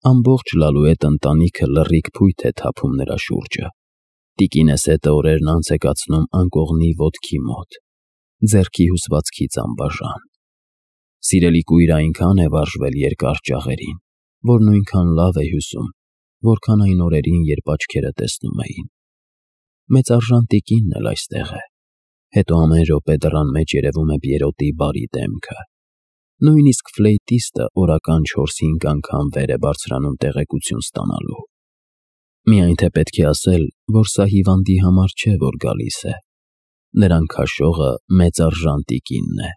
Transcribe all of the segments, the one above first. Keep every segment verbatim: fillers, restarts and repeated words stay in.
Ամբողջ Լալուետ ընտանիքը լռիկ փույթ է թափում նրա շուրջը։ Տիկինեսետը օրերն անց է կացնում անկողնի ոտքի մոտ, ձեռքի հյուսվածքից անբաժան։ Սիրելի կույրը այնքան է վարժվել երկար ճաղերին, որ նույնքան լավ է հյուսում, որքան այն օրերին, երբ աչքերը տեսնում էին։ Մեծարժան տիկինն էլ այստեղ է, հետո ամեն րոպե դռան մեջ երևում է Պիերոտի բարի դեմքը։ Նույնիսկ ֆլեյտիստը օրական չորս-հինգ անգամ վեր է բարձրանում տեղեկություն ստանալու։ Միայն թե պետք է ասել, որ սա հիվանդի համար չէ, որ գալիս է։ Նրան քաշողը մեծարժան տիկինն է։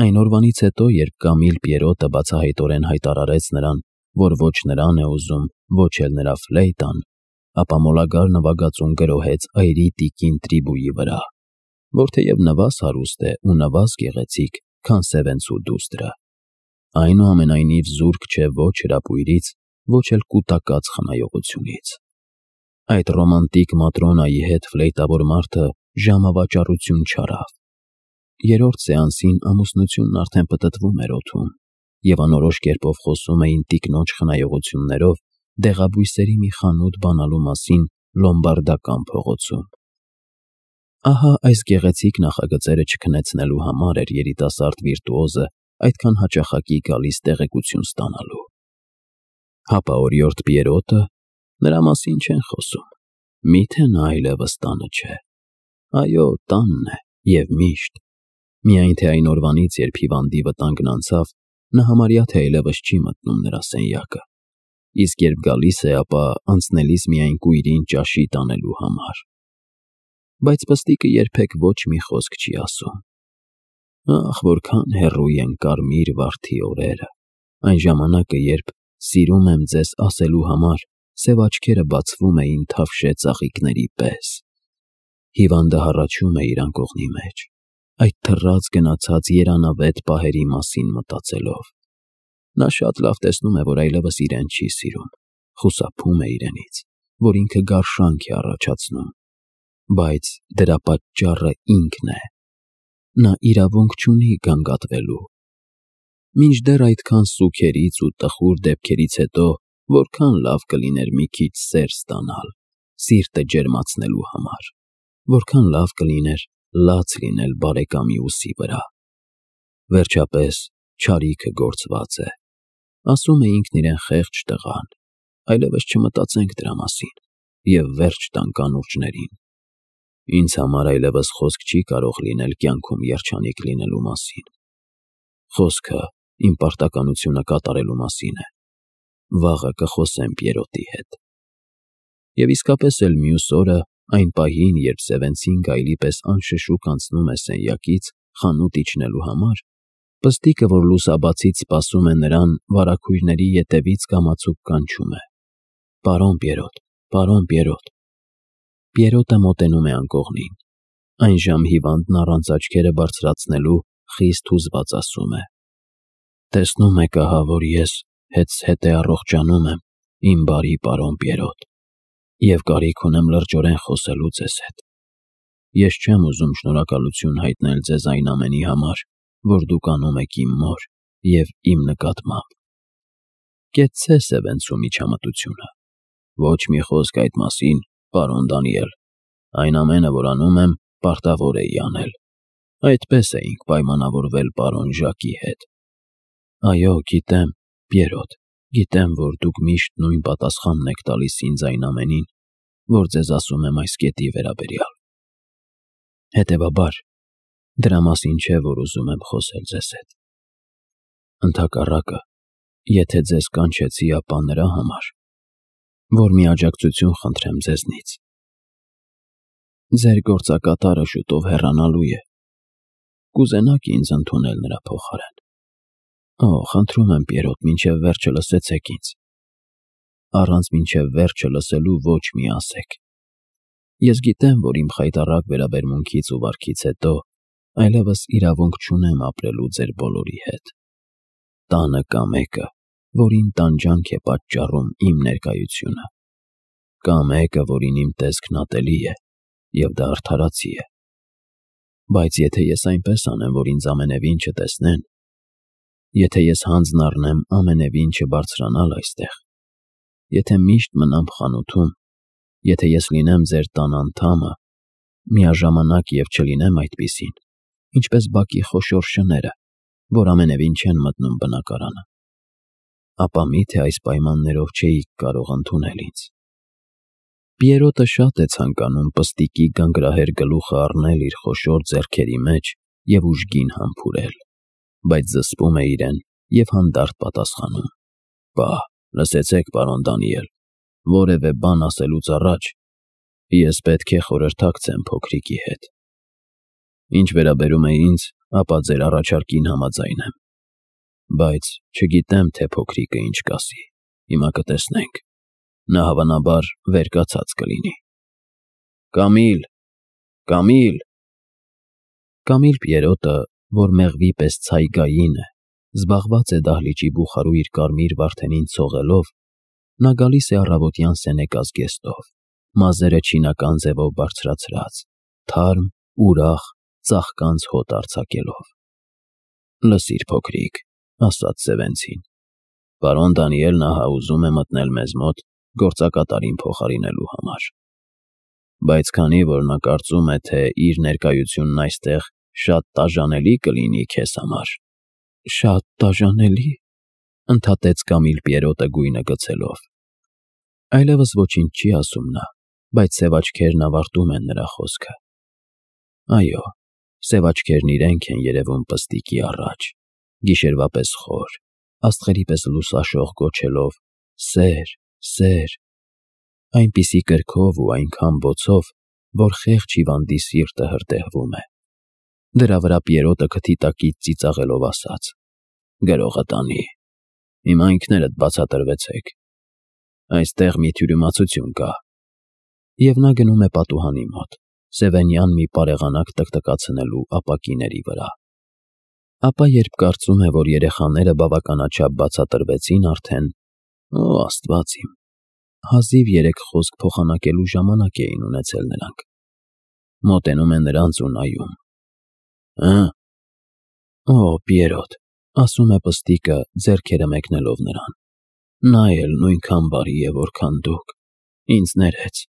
Այն օրվանից հետո, երբ Կամիլ Պիերոտը բացահայտորեն հայտարարեց նրան, որ ոչ նրան է ուզում, ոչ էլ նրա ֆլեյտան, ապա Մոլագար նվագածուն գրոհեց այրի տիկին Տրիբուի վրա, որ թեև նվազ հարուստ է ու նվազ գեղեցիկ, քան Սևենցու դուստրը, այնուամենայնիվ զուրկ չէ ոչ հրապույրից, ոչ էլ կուտակած խնայողությունից։ Այդ ռոմանտիկ Մատրոնայի հետ ֆլեյտավոր մարդը ժամավաճառություն չարավ։ Երրորդ սեանսին ամուսնությունն արդեն պտտվում էր օդում, և անորոշ կերպով խոսում էին տիկնոջ խնայողություններով դեղաբույսերի մի խանութ բանալու մասին Լոմբարդական փողոցում։ Ահա այս գեղեցիկ նախագծերը չքնեցնելու համար էր երիտասարդ վիրտուոզը այդքան հաճախակի գալիս տեղեկություն ստանալու։ Հապա օրիորդ Պիերոտը, նրա մասին չեն խոսում, միթե նա այլևս տանը չէ։ Այո, տանն է, և միշտ։ Միայն թե այն օրվանից, երբ հիվանդի վտանգն անցավ, նա համարյա թե այլևս չի մտնում նրա սենյակը, իսկ երբ գալիս է, ապա անցնելիս միայն կույրին ճաշի տանելու համար։ Բայց պստիկը երբեք ոչ մի խոսք չի ասում։ Ախ, որքան հեռու են կարմիր վարդի օրերը, այն ժամանակը, երբ «սիրում եմ ձեզ» ասելու համար սև աչքերը բացվում էին թավշե ծաղիկների պես։ Հիվանդը հառաչում է իր անկողնի մեջ, այդ թռած գնացած երանավետ պահերի մասին մտածելով։ Նա շատ լավ տեսնում է, որ այլևս իրեն չի սիրում, խուսափում է իրենից, որ ինքը գարշանք է առաջացնում, բայց դրա պատճառը ինքն է։ Նա իրավունք չունի գանգատվելու։ Մինչդեռ այդքան սուգերից ու տխուր դեպքերից հետո որքան լավ կլիներ մի քիչ սեր ստանալ, սիրտը ջերմացնելու համար, որքան լավ կլիներ լաց լինել բարեկամի ուսի վրա։ Վերջապես չարիքը գործված է, ասում է ինքն իրեն խեղճ տղան, այլևս չմտածենք դրա մասին և վերջ տանք անուրջներին։ Ինձ համար այլևս խոսք չի կարող լինել կյանքում երջանիկ լինելու մասին։ Խոսքը իմ պարտականությունը կատարելու մասին է։ Վաղը կխոսեմ Պիերոտի հետ։ Եվ իսկապես էլ մյուս օրը, այն պահին, երբ Սևենցին գայլի պես անշշուկ անցնում է սենյակից խանութ իջնելու համար, պստիկը, որ լուսաբացից սպասում է նրան, վարագույրների ետևից կամացուկ կանչում է. «Պարոն Պիերոտ, պարոն Պիերոտ»։ Պիերոտը մոտենում է անկողնին։ Այնժամ հիվանդն առանց աչքերը բարձրացնելու խիստ հուզված ասում է. «Տեսնում եք ահա, որ ես հեծհետ է առողջանում եմ, իմ բարի պարոն Պիերոտ, և կարիք ունեմ լրջորեն խոսելու ձեզ հետ։ Ես չեմ ուզում շնորհակալություն հայտնել ձեզ այն ամենի համար, որ դուք անում եք իմ մոր և իմ նկատմամբ։ Կեցցե Սևենցու միջամտությունը։ Ոչ մի խոսք այդ մասին, պարոն Դանիել, այն ամենը, որ անում եմ, պարտավոր էի անել։ Այդպես էինք պայմանավորվել պարոն Ժակի հետ։ Այո, գիտեմ, Պիերոտ, գիտեմ, որ դուք միշտ նույն պատասխանն եք տալիս ինձ այն ամենին, որ ձեզ ասում եմ այս կետի վերաբերյալ։ Հետևաբար, դրա մասին չէ, որ ուզում եմ խոսել ձեզ հետ։ Ընդհակառակը, եթե ձեզ կանչեցի, ապա նրա համար, որ մի աջակցություն խնդրեմ ձեզնից։ Ձեր գործակատարը շուտով հեռանալու է։ Կուզենաք ինձ ընդունել նրա փոխարեն։ Օ, խնդրում եմ, Պիերոտ, մինչև վերջը լսեցեք ինձ։ Առանց մինչև վերջը լսելու ոչ մի ասեք։ Ես գիտեմ, որ իմ խայտառակ վերաբերմունքից ու վարքից հետո այլևս իրավունք չունեմ ապրելու ձեր բոլորի հետ։ Տանը կա մեկը, որին տանջանք է պատճառում իմ ներկայությունը։ Կա մեկը, որին իմ տեսքն ատելի է, և դա արդարացի է։ Բայց եթե ես այնպես անեմ, որ ինձ ամենևին չտեսնեն, Եթե ես հանձն առնեմ ամենևին չբարձրանալ այստեղ, եթե միշտ մնամ խանութում, եթե ես լինեմ ձեր տան անդամը, միաժամանակ և չլինեմ այդպիսին, ինչպես բակի խոշոր շները, որ ամենևին չեն մտնում բնակարանը, ապա մի՞թե այս պայմաններով չէիք կարող ընդունել ինձ։ Պիերոտը շատ է ցանկանում պստիկի գանգրահեր գլուխը առնել իր խոշոր ձեռքերի մեջ և ուժգին համբուրել, բայց զսպում է իրեն և հանդարտ պատասխանում. «Պահ, լսեցեք, պարոն Դանիել, որևէ բան ասելուց առաջ ես պետք է խորհրդակցեմ փոքրիկի հետ։ Ինչ վերաբերում է ինձ, ապա ձեր առաջարկին համաձայն եմ, բայց չգիտեմ, թե փոքրիկը ինչ կասի, հիմա կտեսնենք, նա հավանաբար վեր կացած կլինի»։ «Կամիլ, Կամիլ»։ Կամիլ Պիերոտը, որ մեղվի պես ցայգային է, զբաղված է դահլիճի բուխարու իր կարմիր վարդենին ցողելով, նա գալիս է առավոտյան սենեկա զգեստով, մազերը չինական ձևով բարձրացրած, թարմ, ուրախ, ծաղկանց հոտ արձակելով։ «Լսիր, փոքրիկ», ասաց Սևենցին, «պարոն Դանիելն ահա ուզում է մտնել մեզ մոտ գործակատարին փոխարինելու համար, բայց քանի որ նա կարծում է, թե իր ներկայությունն այստեղ շատ տաժանելի կլինի քեզ համար»։ «Շատ տաժանելի», ընդհատեց Կամիլ Պիերոտը գույնը գցելով։ Այլևս ոչինչ չի ասում նա, բայց սև աչքերն ավարտում են նրա խոսքը։ Այո, սև աչքերն իրենք են երևում պստիկի առաջ, գիշերվա պես խոր, աստղերի պես լուսաշող գոչելով. «Սեր, սեր», այնպիսի կրքով ու այնքան բոցով, որ խեղճ հիվանդի սիրտը հրդեհվում է։ Դրա վրա Պիերոտը քթի տակից ծիծաղելով ասաց. «Գրողը տանի, հիմա ինքներդ բացատրվեցեք, այստեղ մի թյուրիմացություն կա»։ Եվ նա գնում է պատուհանի մոտ, սևենյան մի պարեղանակ տկտկացնելու ապակիների վրա։ Ապա երբ կարծում է, որ երեխաները բավականաչափ բացատրվեցին արդեն, օ Աստված իմ, հազիվ երեք խոսք փոխանակելու ժամանակ էին ունեցել նրանք, մոտենում է նրանց ու նայում. «Հը՞։ Օ, Պիերոտ», ասում է պստիկը, ձեռքերը մեկնելով նրան, «նա էլ նույնքան բարի է, որքան դուք, ինձ ներեց»։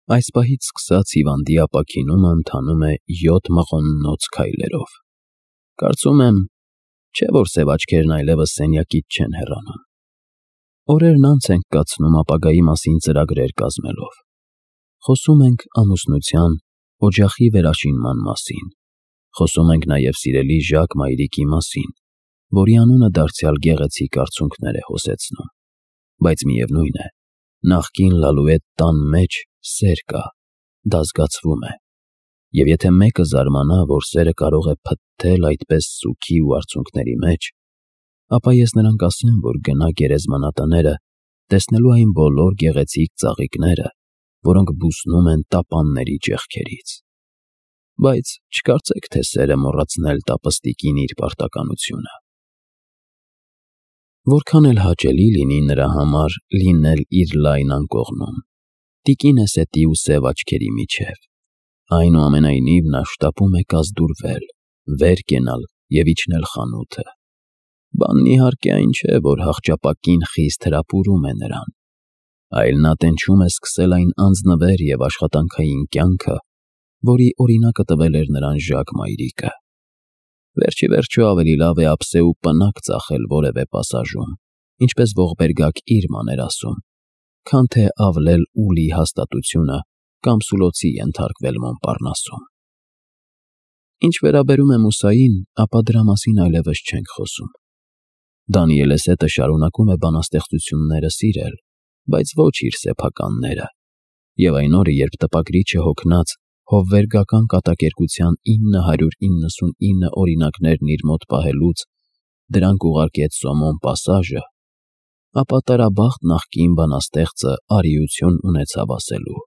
Այս պահից սկսած հիվանդի ապաքինումը ընթանում է յոթ մղոննոց քայլերով։ Կարծում եմ, չէ՞ որ սև աչքերն այլևս սենյակից չեն հեռանում։ Օրերն անց ենք կացնում ապագայի մասին ծրագրեր կազմելով։ Խոսում ենք ամուսնության, օջախի վերաշինման մասին։ Խոսում ենք նաև սիրելի Ժակ մայրիկի մասին, որի անունը դարձյալ գեղեցիկ արցունքներ է հոսեցնում։ Բայց միևնույն է, նախկին Լալուետ տան մեջ սեր կա, դա զգացվում է։ Եվ եթե մեկը զարմանա, որ սերը կարող է փթթել այդպես սուգի ու արցունքների մեջ, ապա ես նրան կասեմ, որ գնա գերեզմանատները, տեսնելու այն բոլոր գեղեցիկ ծաղիկները, որոնք բուսնում են տապանների ճեղքերից։ Բայց չկարծեք, թե սերը մոռացնել տա պստիկին իր պարտականությունը։ Որքան էլ հաճելի լինի նրա համար լինել իր լայն անկողնում, տիկին Էսետի ու սև աչքերի միջև, այնուամենայնիվ նա շտապում է կազդուրվել, վեր կենալ և իջնել խանութը։ Բանն իհարկե այն չէ, որ հախճապակին խիստ հրապուրում է նրան, այլ նա տենչում է սկսել այն անձնվեր և աշխատանքային կյանքը, որի օրինակը տվել էր նրան Ժակ մայրիկը։ Վերջիվերջո ավելի լավ է ափսե ու պնակ ծախել որևէ պասաժում, ինչպես ողբերգակ Իրման էր ասում, քան թե ավլել ուլի հաստատությունը կամ սուլոցի ենթարկվել Մոնպառնասում։ Ինչ վերաբերում է Մուսային, ապա դրա մասին այլևս չենք խոսում։ Դանիել Էսետը շարունակում է բանաստեղծությունները սիրել, բայց ոչ իր սեփականները, և այն օրը, երբ տպագրիչը հոգնած հովվերգական կատակերգության ինը հարյուր իննսունինը օրինակներն իր մոտ պահելուց դրանք ուղարկեց Սոմոն Պասաժը, ապա տարաբախտ նախկին բանաստեղծը արիություն ունեցավ ասելու.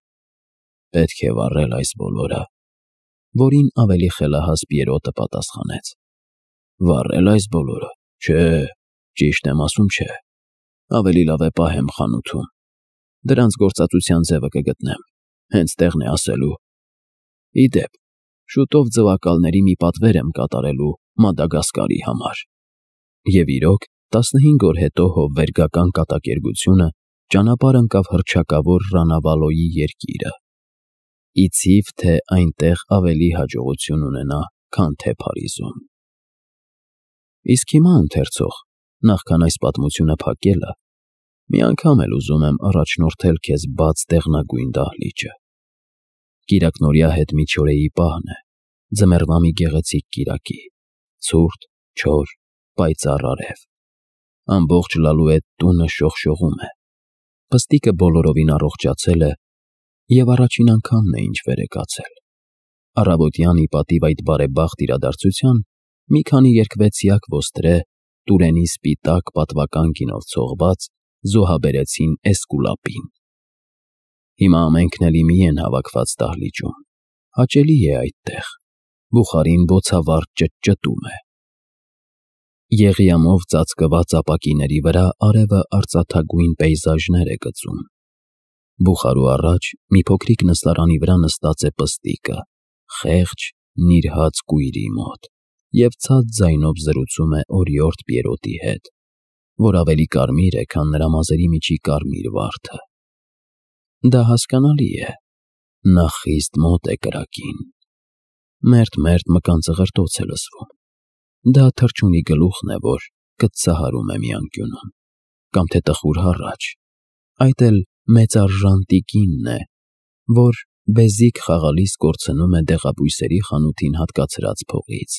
«Պետք է վառել այս բոլորը», որին ավելի խելահաս Պիերոտը պատասխանեց. «Վառել այս բոլորը, չէ, ճիշտ եմ ասում, չէ, ավելի լավ է պահեմ խանութում, դրանց գործածության ձևը կգտնեմ, հենց տեղն է ասելու։ Ի դեպ, շուտով ձվակալների մի պատվեր եմ կատարելու Մադագասկարի համար»։ Եվ իրոք, տասնհինգ օր հետո հովվերգական կատակերգությունը ճանապարհ ընկավ հռչակավոր Ռանավալոյի երկիրը։ Իցիվ թե այնտեղ ավելի հաջողություն ունենա, քան թե Փարիզում։ Իսկ հիմա ընթերցող, նախքան այս պատմությունը փակելը, մի անգամ էլ ուզում եմ առաջնորդել քեզ բաց դեղնագույն դահլիճը։ Կիրակնօրյա հետ միջօրեի պահն է, ձմեռվա մի գեղեցիկ կիրակի, ցուրտ, չոր, պայծառ արև։ Ամբողջ Լալուետ տունը շողշողում է։ Պստիկը բոլորովին առողջացել է և առաջին անգամն է, ինչ վեր է կացել։ Առավոտյան ի պատիվ այդ բարեբախտ իրադարձության մի քանի երկվեցյակ ոստրե, Տուրենի սպիտակ պատվական գինով ցողված, զոհաբերեցին Էսկուլապին։ Հիմա ամենքն էլ իմի են հավաքված դահլիճում։ Հաճելի է այդտեղ։ Բուխարին բոցավառ ճտճտում է։ Եղիամով ծածկված ապակիների վրա արևը արծաթագույն պեյզաժներ է գծում։ Բուխարու առաջ մի փոքրիկ նստարանի վրա նստած է Պստիկը, խեղճ, նիրհած կույրի մոտ, և ցած ձայնով զրուցում է օրիորդ Պիերոտի հետ, որ ավելի կարմիր է, քան նրա մազերի միջի կարմիր վարդը։ Դա հասկանալի է։ Նա խիստ մոտ է կրակին։ Մերթ-մերթ մկան ծղրտոց է լսվում։ Դա թռչունի գլուխն է, որ կծսահարում է մի անկյունում, կամ թե տխուր հառաչ։ Այդ էլ մեծարժան տիկինն է, որ բեզիկ խաղալիս կորցնում է դեղաբույսերի խանութին հատկացրած փողից։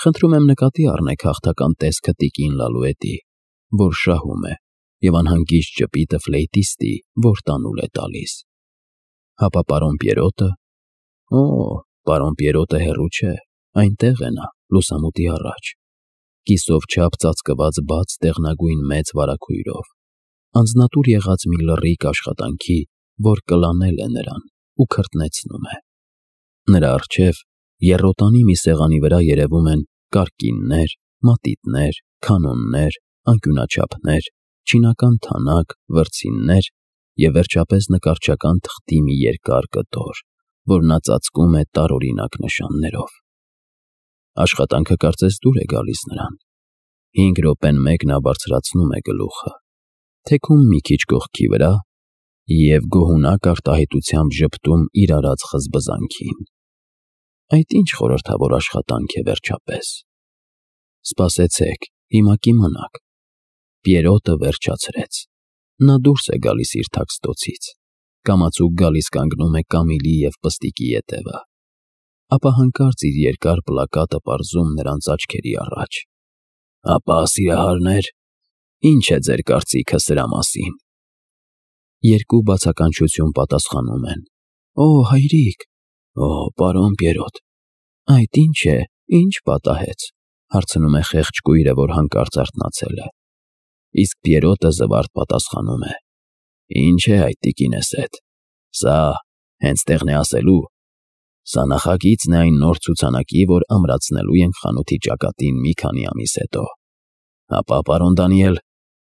Խնդրում եմ նկատի առնեք հաղթական տեսքը տիկին Լալուետի, որ շահում է, և անհանգիստ ժպիտը ֆլեյտիստի, որ տանուլ է տալիս։ Հապա պարոն Պիերոտը։ Օ, պարոն Պիերոտը հեռու չէ, այնտեղ է նա, լուսամուտի առաջ, կիսով չափ ծածկված բաց դեղնագույն մեծ վարագույրով, անձնատուր եղած մի լռիկ աշխատանքի, որ կլանել է նրան ու քրտնեցնում է։ Նրա առջև եռոտանի մի սեղանի վրա երևում են կարկիններ, մատիտներ, քանոններ, անկյունաչափներ, չինական թանակ, վրձիններ և վերջապես նկարչական թղթի մի երկար կտոր, որ նա ծածկում է տարօրինակ նշաններով։ Աշխատանքը կարծես դուր է գալիս նրան։ Հինգ րոպեն մեկ նա բարձրացնում է գլուխը, թեքում մի քիչ կողքի վրա և գոհունակ արտահայտությամբ ժպտում իր արած խզբզանքին։ Այդ ինչ խորհրդավոր աշխատանք է վերջապես։ Սպասեցեք, հիմա կիմանաք։ Պիերոտը վերջացրեց։ Նա դուրս է գալիս իր թաքստոցից, կամացուկ գալիս կանգնում է Կամիլի և Պստիկի ետևը, ապա հանկարծ իր երկար պլակատը պարզում նրանց աչքերի առաջ։ Ապա, սիրահարներ, ի՞նչ է ձեր կարծիքը սրա մասին։ Երկու բացականչություն պատասխանում են. Օ, հայրիկ։ Օ, պարոն Պիերոտ։ Այդ ինչ է, ինչ պատահեց, հարցնում է խեղճ կույրը, որ հանկարծ արթնացել է։ Իսկ Պիերոտը զվարթ պատասխանում է. Ինչ է այդ տիկինս էդ։ Սա հենց տեղն է ասելու։ Սա նախագիծն է այն նոր ցուցանակի, որ ամրացնելու ենք խանութի ճակատին մի քանի ամիս հետո։ Հապա, պարոն Դանիել,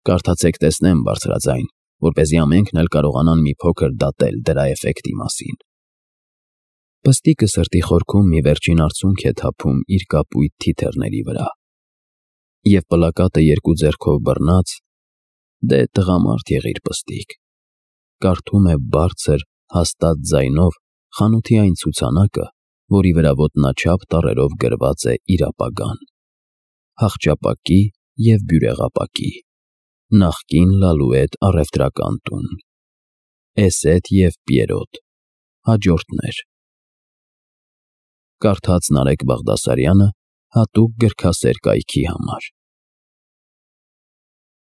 կարդացեք տեսնեմ բարձրաձայն, որպեսզի ամենքն էլ կարողանան մի փոքր դատել դրա էֆեկտի մասին։ Պստիկը սրտի խորքում մի վերջին արցունք է թափում իր կապույտ թիթեռների վրա։ Եվ պլակատը երկու ձեռքով բռնած, դե տղամարդ եղիր, Պստիկ, կարդում է բարձր, հաստատ ձայնով խանութի այն ցուցանակը, որի վրա ոտնաչափ տառերով գրված է իր ապագան։ Հախճապակի և բյուրեղապակի, նախկին Լալուետ առևտրական տուն, Էսետ և Պիերոտ, հաջորդներ։ Կարդաց Նարեկ Բաղդասարյանը հատուկ գրքասեր կայքի համար։